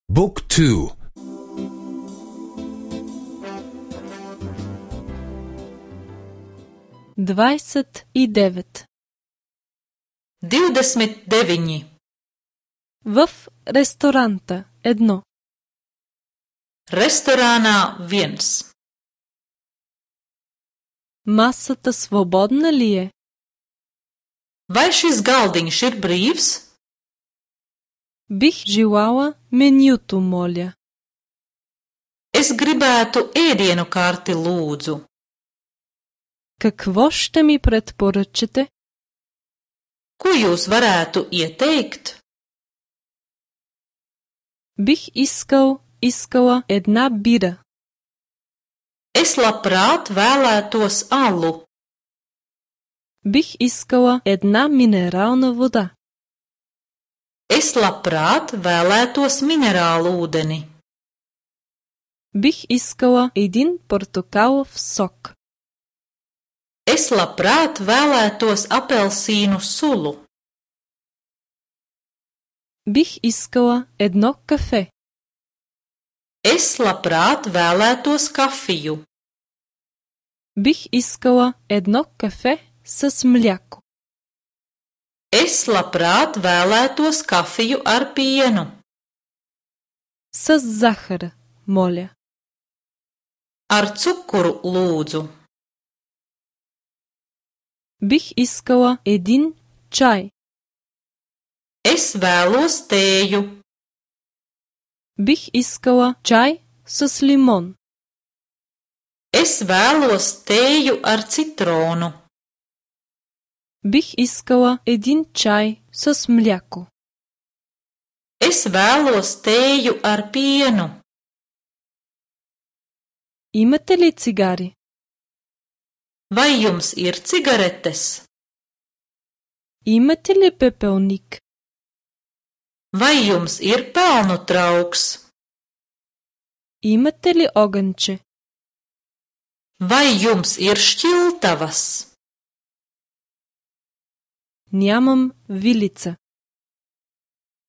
Book 2. 29. 29. В ресторанта 1. Restorānā 1. Масата свободна ли е? Vai šis galdiņš ir brīvs? Бих желала менюто, моля. Es gribētu ēdienu karti, lūdzu. Какво ще ми предпоръчате? Ko jūs varētu ieteikt? Бих искала една бира. Es labprāt vēlētos alu. Бих искала една минерална вода. Es labprāt vēlētos minerālu ūdeni. Бих искала един портокалов сок. Es labprāt vēlētos apelsīnu sulu. Бих искала едно кафе. Es labprāt vēlētos kafiju. Бих искала едно кафе с мляко. Es labprāt vēlētos kafiju ar pienu. С захара, моля. Ar cukuru, lūdzu. Бих искала един чай. Es vēlos tēju. Бих искала чай с лимон. Es vēlos tēju ar citronu. Бих искала един чай с мляко. Es vēlos tēju ar pienu. Имате ли цигари? Vai jums ir cigaretes? Имате ли пепелник? Vai jums ir pelnu trauks? Имате ли огънче? Vai jums ir šķiltavas? Нямам вилица.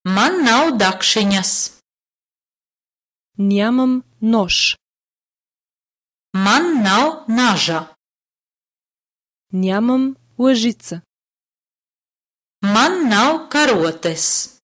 Man nav dakšiņas. Нямам нож. Man nav naža. Нямам лъжица. Man nav karotes.